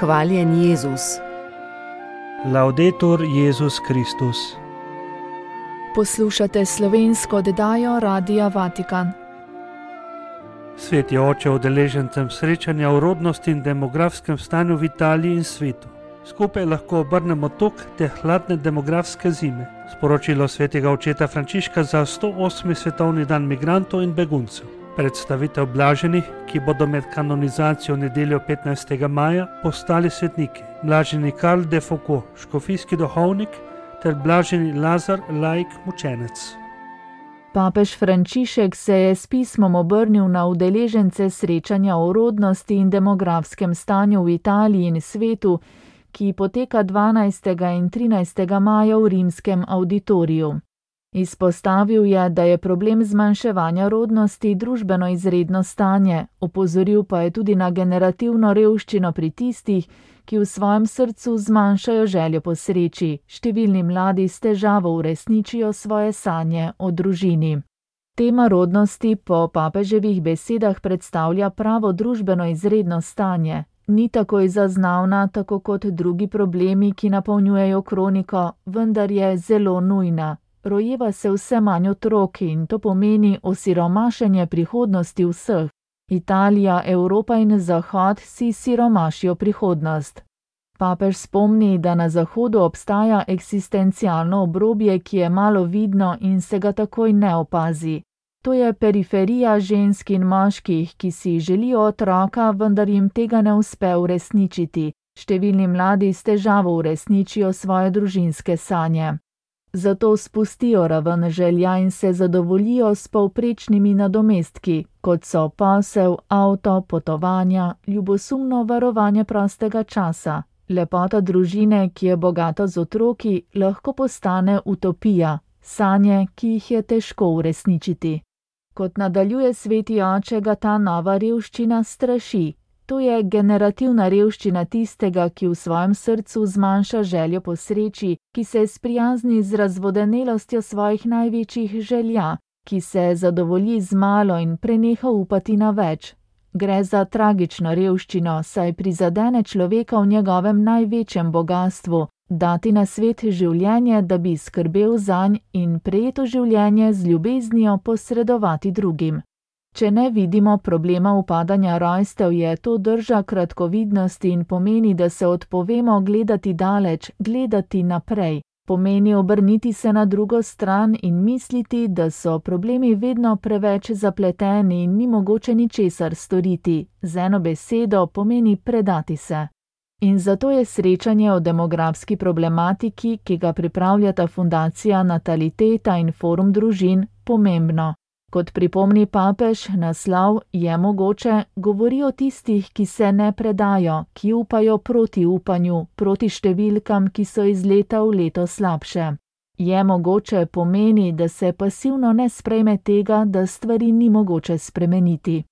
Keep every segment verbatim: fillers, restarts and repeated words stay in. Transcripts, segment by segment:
Hvaljen Jezus. Laudetur Jezus Kristus. Poslušate slovensko oddajo Radia Vatikan. Sveti oče udeležencem srečanja o rodnosti in demografskem stanju v Italiji in svetu. Skupaj lahko obrnemo tok te hladne demografske zime. Sporočilo svetega očeta Frančiška za sto osmi svetovni dan migrantov in beguncev. Predstavitev blaženih, ki bodo med kanonizacijo nedeljo petnajstega maja postali svetniki. Blaženi Karl de Foucault, škofijski duhovnik, ter blaženi Lazar, laik mučenec. Papež Frančišek se je s pismom obrnil na udeležence srečanja o rodnosti in demografskem stanju v Italiji in svetu, ki poteka dvanajstega in trinajstega maja v rimskem auditoriju. Izpostavil je, da je problem zmanjševanja rodnosti družbeno izredno stanje, opozoril pa je tudi na generativno revščino pri tistih, ki v svojem srcu zmanjšajo željo po sreči. Številni mladi s težavo uresničijo svoje sanje o družini. Tema rodnosti po papeževih besedah predstavlja pravo družbeno izredno stanje. Ni takoj zaznavna, tako kot drugi problemi, ki napolnjujejo kroniko, vendar je zelo nujna. Rojeva se vse manj otrok in to pomeni osiromašenje prihodnosti vseh. Italija, Evropa in Zahod si siromašijo prihodnost. Papež spomni, da na Zahodu obstaja eksistencialno obrobje, ki je malo vidno in se ga takoj ne opazi. To je periferija žensk in moških, ki si želijo otroka, vendar jim tega ne uspe uresničiti. Številni mladi s težavo uresničijo svoje družinske sanje. Zato spustijo raven želja in se zadovoljijo s povprečnimi nadomestki, kot so posel, avto, potovanja, ljubosumno varovanje prostega časa. Lepota družine, ki je bogata z otroki, lahko postane utopija, sanje, ki jih je težko uresničiti. Kot nadaljuje sveti oče, ga ta nova revščina straši. To je generativna revščina tistega, ki v svojem srcu zmanjša željo po sreči, ki se sprijazni z razvodenelostjo svojih največjih želja, ki se zadovolji z malo in preneha upati na več. Gre za tragično revščino, saj prizadene človeka v njegovem največjem bogastvu, dati na svet življenje, da bi skrbel zanj in prejeto življenje z ljubeznijo posredovati drugim. Če ne vidimo problema upadanja rojstev, je to drža kratkovidnosti in pomeni, da se odpovemo gledati daleč, gledati naprej. Pomeni obrniti se na drugo stran in misliti, da so problemi vedno preveč zapleteni in ni mogoče ničesar storiti. Z eno besedo pomeni predati se. In zato je srečanje o demografski problematiki, ki ga pripravljata Fundacija Nataliteta in Forum družin, pomembno. Kot pripomni papež, naslov Je mogoče govori o tistih, ki se ne predajo, ki upajo proti upanju, proti številkam, ki so iz leta v leto slabše. Je mogoče pomeni, da se pasivno ne sprejme tega, da stvari ni mogoče spremeniti.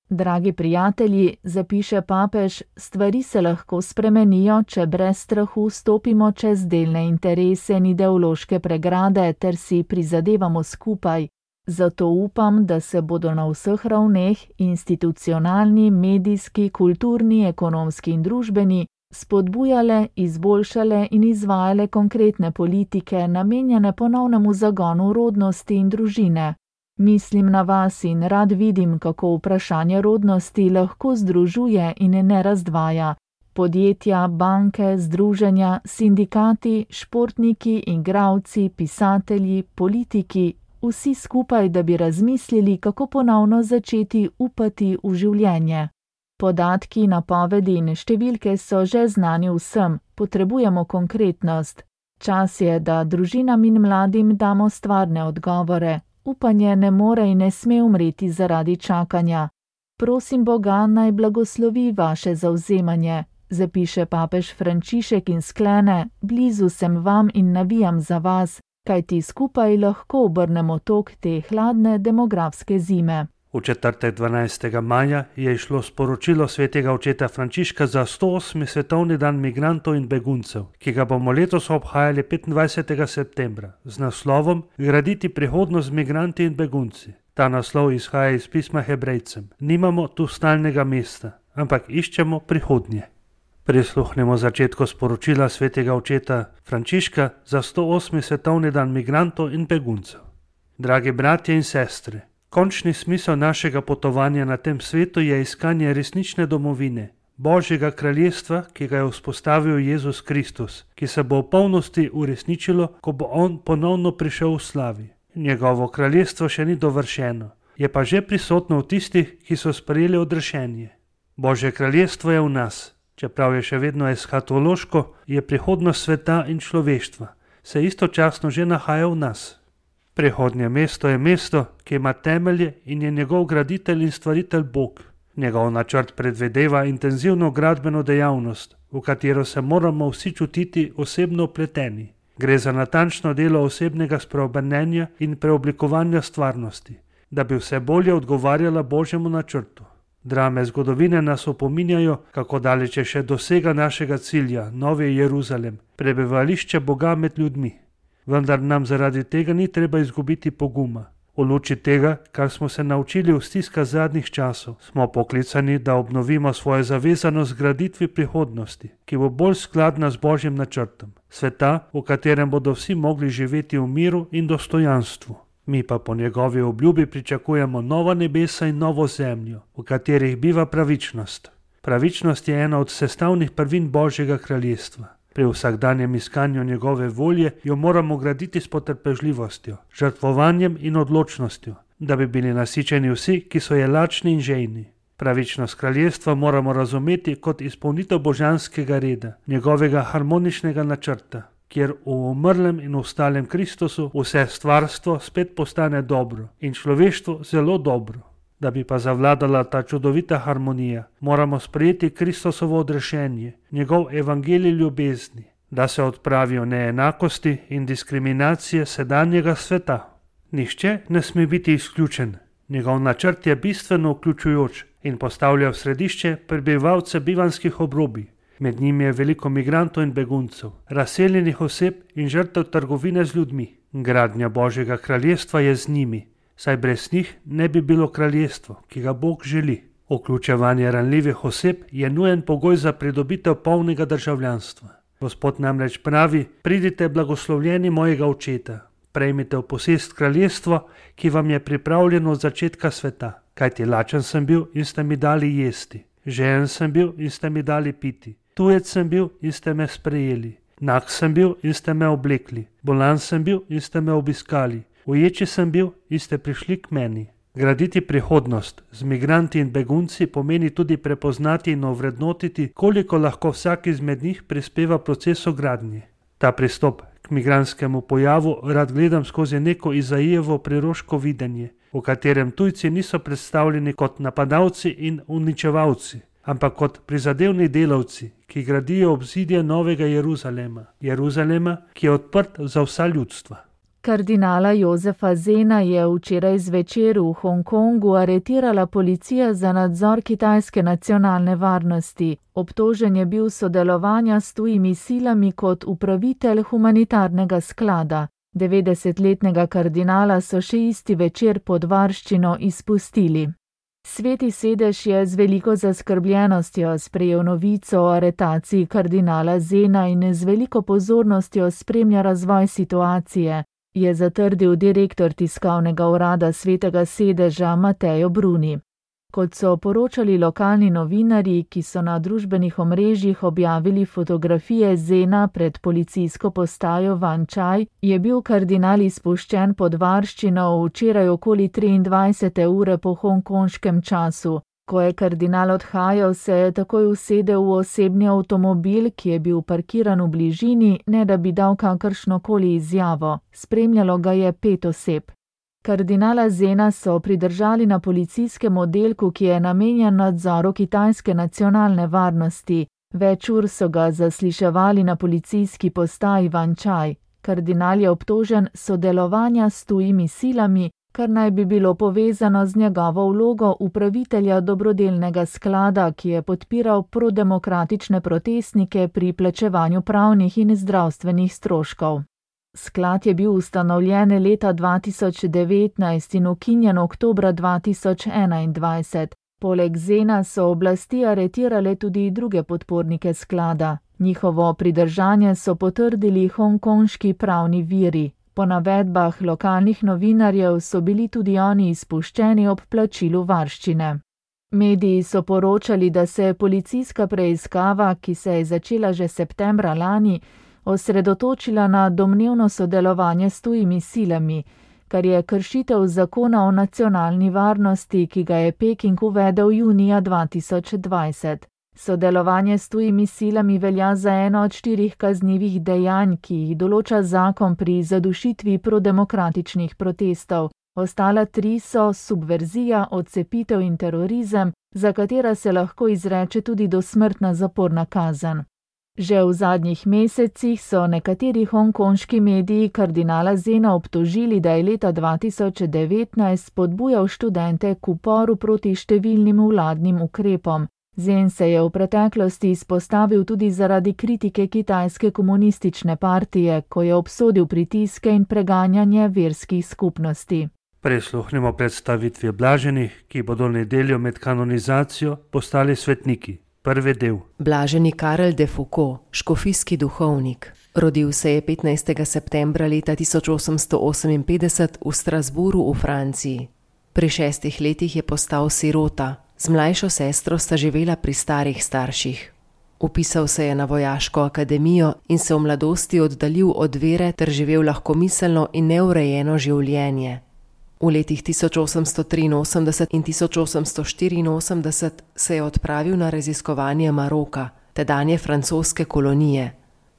Dragi prijatelji, zapiše papež, stvari se lahko spremenijo, če brez strahu stopimo čez delne interese in ideološke pregrade ter si prizadevamo skupaj. Zato upam, da se bodo na vseh ravneh, institucionalni, medijski, kulturni, ekonomski in družbeni, spodbujale, izboljšale in izvajale konkretne politike, namenjene ponovnemu zagonu rodnosti in družine. Mislim na vas in rad vidim, kako vprašanje rodnosti lahko združuje in ne razdvaja. Podjetja, banke, združenja, sindikati, športniki, igralci, pisatelji, politiki, vsi skupaj, da bi razmislili, kako ponovno začeti upati v življenje. Podatki, napovedi in številke so že znani vsem, potrebujemo konkretnost. Čas je, da družinam in mladim damo stvarne odgovore. Upanje ne more in ne sme umreti zaradi čakanja. Prosim Boga, naj blagoslovi vaše zavzemanje, zapiše papež Frančišek in sklene, blizu sem vam in navijam za vas, kajti skupaj lahko obrnemo tok te hladne demografske zime. V četrtek dvanajstega maja je išlo sporočilo svetega očeta Frančiška za sto osmi svetovni dan migrantov in beguncev, ki ga bomo letos obhajali petindvajsetega septembra, z naslovom Graditi prihodnost z migranti in begunci. Ta naslov izhaja iz pisma Hebrejcem. Nimamo tu stalnega mesta, ampak iščemo prihodnje. Prisluhnemo začetku sporočila svetega očeta Frančiška za sto osmi svetovni dan migrantov in beguncev. Dragi bratje in sestre, končni smisel našega potovanja na tem svetu je iskanje resnične domovine, Božjega kraljestva, ki ga je vzpostavil Jezus Kristus, ki se bo v polnosti uresničilo, ko bo on ponovno prišel v slavi. Njegovo kraljestvo še ni dovršeno, je pa že prisotno v tistih, ki so sprejeli odrešenje. Božje kraljestvo je v nas. Čeprav je še vedno eskatološko, je prihodnost sveta in človeštva, se istočasno že nahaja v nas. Prihodnje mesto je mesto, ki ima temelje in je njegov graditelj in stvaritelj Bog. Njegov načrt predvideva intenzivno gradbeno dejavnost, v katero se moramo vsi čutiti osebno vpleteni. Gre za natančno delo osebnega spreobrnenja in preoblikovanja stvarnosti, da bi vse bolje odgovarjala Božjemu načrtu. Drame zgodovine nas opominjajo, kako daleč je še dosega našega cilja, Novi Jeruzalem, prebivališče Boga med ljudmi. Vendar nam zaradi tega ni treba izgubiti poguma. V luči tega, kar smo se naučili v stiskah zadnjih časov, smo poklicani, da obnovimo svojo zavezanost graditvi prihodnosti, ki bo bolj skladna z Božjim načrtom. Sveta, v katerem bodo vsi mogli živeti v miru in dostojanstvu. Mi pa po njegovi obljubi pričakujemo nova nebesa in novo zemljo, v katerih biva pravičnost. Pravičnost je ena od sestavnih prvin Božjega kraljestva. Pri vsakdanjem iskanju njegove volje jo moramo graditi s potrpežljivostjo, žrtvovanjem in odločnostjo, da bi bili nasičeni vsi, ki so je lačni in žejni. Pravičnost kraljestva moramo razumeti kot izpolnitev božanskega reda, njegovega harmoničnega načrta, kjer v umrlem in ustalem Kristusu vse stvarstvo spet postane dobro in človeštvo zelo dobro. Da bi pa zavladala ta čudovita harmonija, moramo sprejeti Kristusovo odrešenje, njegov evangelij ljubezni, da se odpravijo neenakosti in diskriminacije sedanjega sveta. Nihče ne sme biti izključen. Njegov načrt je bistveno vključujoč in postavlja v središče prebivalce bivanskih obrobij. Med njimi je veliko migrantov in beguncev, razseljenih oseb in žrtev trgovine z ljudmi. Gradnja Božjega kraljestva je z njimi, saj brez njih ne bi bilo kraljestvo, ki ga Bog želi. Vključevanje ranljivih oseb je nujen pogoj za pridobitev polnega državljanstva. Gospod namreč pravi: pridite blagoslovljeni mojega očeta, prejmite v posest kraljestvo, ki vam je pripravljeno od začetka sveta. Kajti lačen sem bil in ste mi dali jesti, žejen sem bil in ste mi dali piti, tujec sem bil in ste me sprejeli, nag sem bil in ste me oblekli, bolan sem bil in ste me obiskali, uječi sem bil in ste prišli k meni. Graditi prihodnost z migranti in begunci pomeni tudi prepoznati in ovrednotiti, koliko lahko vsak izmed njih prispeva procesu gradnje. Ta pristop k migranskemu pojavu rad gledam skozi neko Izaijevo priroško videnje, v katerem tujci niso predstavljeni kot napadalci in uničevalci, ampak kot prizadevni delavci, ki gradijo obzidje Novega Jeruzalema, Jeruzalema, ki je odprt za vsa ljudstva. Kardinala Jozefa Zena je včeraj zvečer v Hongkongu aretirala policija za nadzor kitajske nacionalne varnosti. Obtožen je bil sodelovanja s tujimi silami kot upravitelj humanitarnega sklada. devetdesetletnega kardinala so še isti večer pod varščino izpustili. Sveti sedež je z veliko zaskrbljenostjo sprejel novico o aretaciji kardinala Zena in z veliko pozornostjo spremlja razvoj situacije, je zatrdil direktor tiskovnega urada Svetega sedeža Matteo Bruni. Kot so poročali lokalni novinarji, ki so na družbenih omrežjih objavili fotografije Zena pred policijsko postajo Wan Chai, je bil kardinal izpuščen pod varščino včeraj okoli triindvajsete ure po hongkonškem času. Ko je kardinal odhajal, se je takoj usedel v osebni avtomobil, ki je bil parkiran v bližini, ne da bi dal kakršnokoli izjavo. Spremljalo ga je pet oseb. Kardinala Zena so pridržali na policijskem oddelku, ki je namenjen nadzoru kitajske nacionalne varnosti. Več ur so ga zasliševali na policijski postaji Wan Chai. Kardinal je obtožen sodelovanja s tujimi silami, kar naj bi bilo povezano z njegovo vlogo upravitelja dobrodelnega sklada, ki je podpiral prodemokratične protestnike pri plačevanju pravnih in zdravstvenih stroškov. Sklad je bil ustanovljen leta dva tisoč devetnajst in ukinjen oktobra dva tisoč enaindvajset. Poleg Zena so oblasti aretirale tudi druge podpornike sklada. Njihovo pridržanje so potrdili hongkonški pravni viri. Po navedbah lokalnih novinarjev so bili tudi oni izpuščeni ob plačilu varščine. Mediji so poročali, da se je policijska preiskava, ki se je začela že septembra lani, osredotočila na domnevno sodelovanje s tujimi silami, kar je kršitev zakona o nacionalni varnosti, ki ga je Peking uvedel junija dva tisoč dvajset. Sodelovanje s tujimi silami velja za eno od štirih kaznivih dejanj, ki jih določa zakon pri zadušitvi prodemokratičnih protestov. Ostala tri so subverzija, odcepitev in terorizem, za katera se lahko izreče tudi dosmrtna zaporna kazen. Že v zadnjih mesecih so nekateri hongkonški mediji kardinala Zena obtožili, da je leta dva tisoč devetnajst spodbujal študente k uporu proti številnim vladnim ukrepom. Zen se je v preteklosti izpostavil tudi zaradi kritike kitajske komunistične partije, ko je obsodil pritiske in preganjanje verskih skupnosti. Prisluhnimo predstavitvi blaženih, ki bodo nedeljo med kanonizacijo postali svetniki. Prvi del. Blaženi Karel de Foucauld, škofijski duhovnik. Rodil se je petnajstega septembra leta tisoč osemsto oseminpetdeset v Strasbourgu v Franciji. Pri šestih letih je postal sirota. Z mlajšo sestro sta živela pri starih starših. Vpisal se je na vojaško akademijo in se v mladosti oddaljil od vere ter živel lahkomiselno in neurejeno življenje. V letih tisoč osemsto triinosemdeset in tisoč osemsto štiriinosemdeset se je odpravil na raziskovanje Maroka, tedanje francoske kolonije.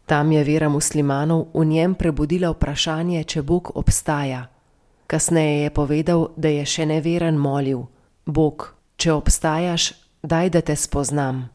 Tam je vera muslimanov v njem prebudila vprašanje, če Bog obstaja. Kasneje je povedal, da je še neveren molil: Bog, če obstajaš, daj, da te spoznam.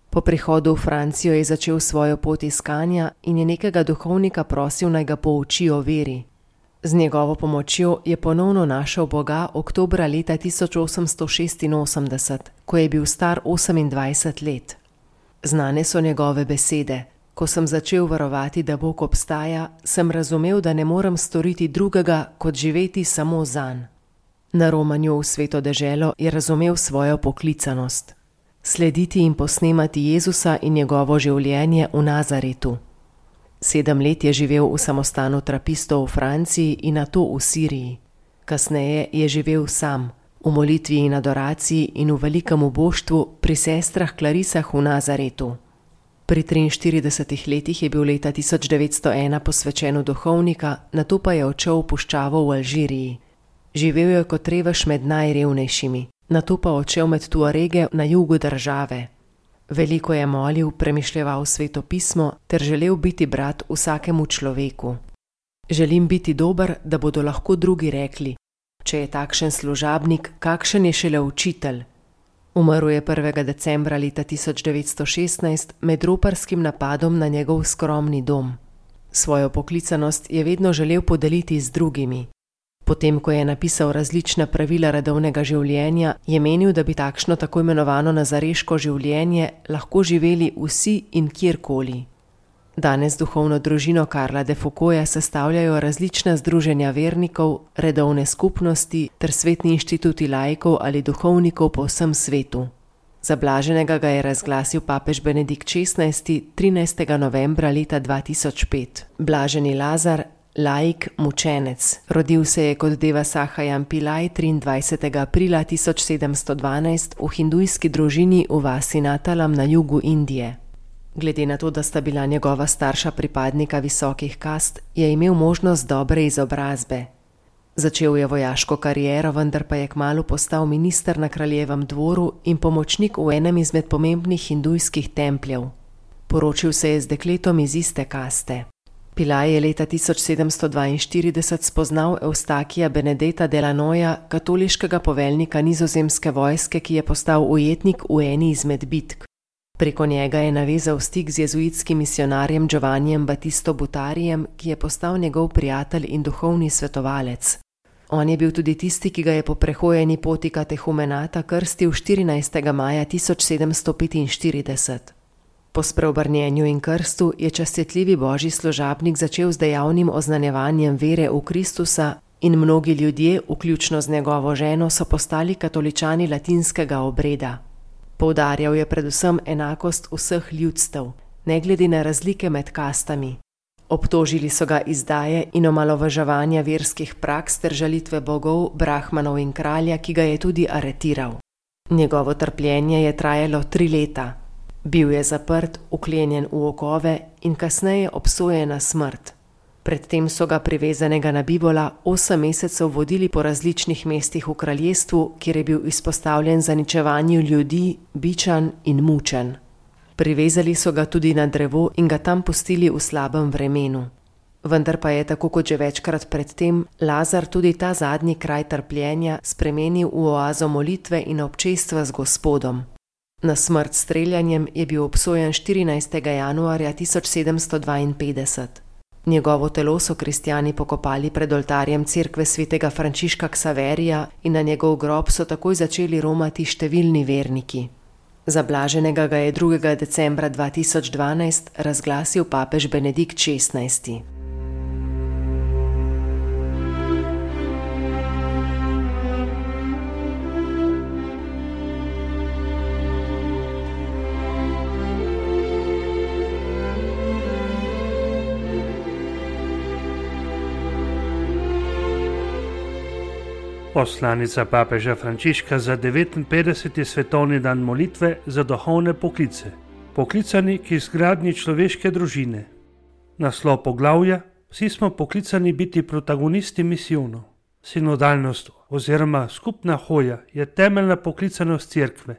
Po prihodu v Francijo je začel svojo pot iskanja in je nekega duhovnika prosil, naj ga pouči o veri. Z njegovo pomočjo je ponovno našel Boga oktobra leta tisoč osemsto šestinosemdeset, ko je bil star osemindvajset let. Znane so njegove besede: ko sem začel verovati, da Bog obstaja, sem razumel, da ne morem storiti drugega, kot živeti samo zanj. Na romanju v Sveto deželo je razumel svojo poklicanost. Slediti in posnemati Jezusa in njegovo življenje v Nazaretu. Sedem let je živel v samostanu trapistov v Franciji in nato v Siriji. Kasneje je živel sam, v molitvi in adoraciji in v velikem uboštvu pri sestrah Klarisah v Nazaretu. Pri triinštiridesetih letih je bil leta tisoč devetsto ena posvečen v duhovnika, nato pa je odšel v puščavo v Alžiriji. Živel je kot revež med najrevnejšimi, nato pa odšel med Tuarege na jugu države. Veliko je molil, premišljeval Sveto pismo ter želel biti brat vsakemu človeku. Želim biti dober, da bodo lahko drugi rekli: če je takšen služabnik, kakšen je šele učitelj. Umrl je prvega decembra leta tisoč devetsto šestnajst med roparskim napadom na njegov skromni dom. Svojo poklicanost je vedno želel podeliti z drugimi. Potem, ko je napisal različna pravila redovnega življenja, je menil, da bi takšno tako imenovano nazareško življenje lahko živeli vsi in kjerkoli. Danes duhovno družino Karla de Foucaulda sestavljajo različna združenja vernikov, redovne skupnosti ter svetni inštituti laikov ali duhovnikov po vsem svetu. Za blaženega ga je razglasil papež Benedikt šestnajsti trinajstega novembra leta dva tisoč pet. Blaženi Lazar, laik, mučenec. Rodil se je kot Deva Sahajan Pillai triindvajsetega aprila tisoč sedemsto dvanajst v hindujski družini v vasi Natalam na jugu Indije. Glede na to, da sta bila njegova starša pripadnika visokih kast, je imel možnost dobre izobrazbe. Začel je vojaško kariero, vendar pa je kmalu postal minister na kraljevem dvoru in pomočnik v enem izmed pomembnih hindujskih templjev. Poročil se je z dekletom iz iste kaste. Pillai je leta tisoč sedemsto dvainštirideset spoznal Eustakija Benedeta Delanoja, katoliškega poveljnika nizozemske vojske, ki je postal ujetnik v eni izmed bitk. Preko njega je navezal stik z jezuitskim misionarjem Giovannijem Battisto Butarijem, ki je postal njegov prijatelj in duhovni svetovalec. On je bil tudi tisti, ki ga je po prehojeni poti katehumenata krstil štirinajstega maja tisoč sedemsto petinštirideset. Po spreobrnjenju in krstu je častitljivi božji služabnik začel z dejavnim oznanjevanjem vere v Kristusa, in mnogi ljudje, vključno z njegovo ženo, so postali katoličani latinskega obreda. Poudarjal je predvsem enakost vseh ljudstev, ne glede na razlike med kastami. Obtožili so ga izdaje in omalovaževanja verskih praks ter žalitve bogov, brahmanov in kralja, ki ga je tudi aretiral. Njegovo trpljenje je trajalo tri leta. Bil je zaprt, vklenjen v okove in kasneje obsojen na smrt. Predtem so ga privezanega na bivola osem mesecev vodili po različnih mestih v kraljestvu, kjer je bil izpostavljen zaničevanju ljudi, bičan in mučen. Privezali so ga tudi na drevo in ga tam pustili v slabem vremenu. Vendar pa je, tako kot že večkrat predtem, Lazar tudi ta zadnji kraj trpljenja spremenil v oazo molitve in občestva z Gospodom. Na smrt s streljanjem je bil obsojen štirinajstega januarja tisoč sedemsto dvainpetdeset. Njegovo telo so kristjani pokopali pred oltarjem cerkve svetega Frančiška Ksaverija in na njegov grob so takoj začeli romati številni verniki. Za blaženega ga je drugega decembra dva tisoč dvanajst razglasil papež Benedikt šestnajsti. Poslanica papeža Frančiška za devetinpetdeseti svetovni dan molitve za duhovne poklice. Poklicani k izgradnji človeške družine. Naslov poglavja: Vsi smo poklicani biti protagonisti misijonov. Sinodalnost oziroma skupna hoja je temeljna poklicanost cerkve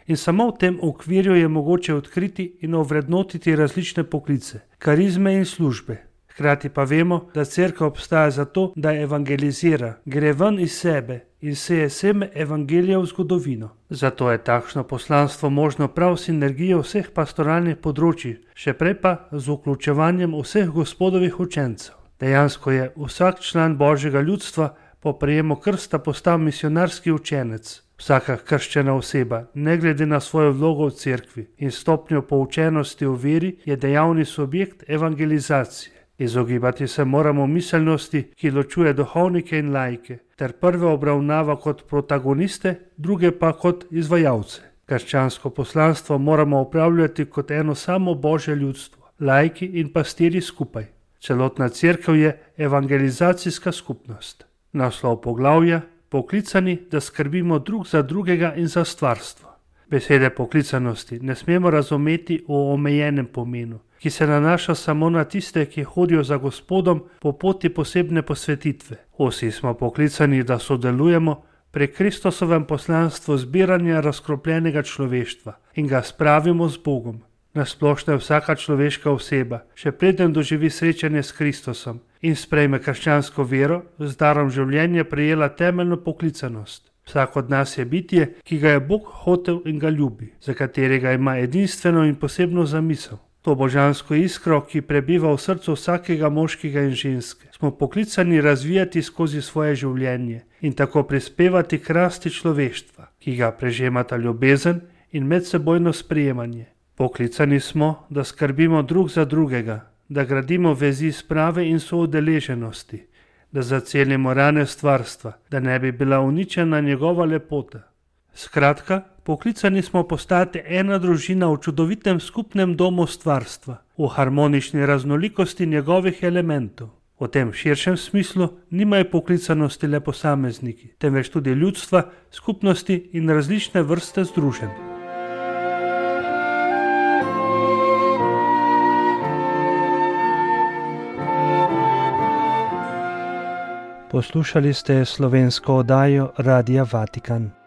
in samo v tem okvirju je mogoče odkriti in ovrednotiti različne poklice, karizme in službe. Hkrati pa vemo, da cerkev obstaja zato, da evangelizira, gre ven iz sebe in seje seme evangelija v zgodovino. Zato je takšno poslanstvo možno prav sinergijo vseh pastoralnih področij, še prej pa z vključevanjem vseh Gospodovih učencev. Dejansko je vsak član Božjega ljudstva po prejemu krsta postal misionarski učenec. Vsaka krščena oseba, ne glede na svojo vlogo v cerkvi in stopnjo poučenosti v veri, je dejavni subjekt evangelizacije. Izogibati se moramo miselnosti, ki ločuje duhovnike in laike, ter prve obravnava kot protagoniste, druge pa kot izvajalce. Krščansko poslanstvo moramo upravljati kot eno samo Božje ljudstvo, laiki in pastirji skupaj. Celotna cerkev je evangelizacijska skupnost. Naslov poglavja: Poklicani, da skrbimo drug za drugega in za stvarstvo. Besede poklicanosti ne smemo razumeti v omejenem pomenu, ki se nanaša samo na tiste, ki hodijo za Gospodom po poti posebne posvetitve. Vsi smo poklicani, da sodelujemo pri Kristusovem poslanstvu zbiranja razkropljenega človeštva in ga spravimo z Bogom. Nasplošno je vsaka človeška oseba, še preden doživi srečanje s Kristusom in sprejme krščansko vero, z darom življenja prejela temeljno poklicanost. Vsak od nas je bitje, ki ga je Bog hotel in ga ljubi, za katerega ima edinstveno in posebno zamisel. To božansko iskro, ki prebiva v srcu vsakega moškega in ženske, smo poklicani razvijati skozi svoje življenje in tako prispevati k rasti človeštva, ki ga prežemata ljubezen in medsebojno sprejemanje. Poklicani smo, da skrbimo drug za drugega, da gradimo vezi sprave in soudeleženosti, da zacelimo rane stvarstva, da ne bi bila uničena njegova lepota. Skratka, poklicani smo postati ena družina v čudovitem skupnem domu stvarstva, v harmonični raznolikosti njegovih elementov. V tem širšem smislu nimajo poklicanosti le posamezniki, temveč tudi ljudstva, skupnosti in različne vrste združenj. Poslušali ste slovensko oddajo Radia Vatikan.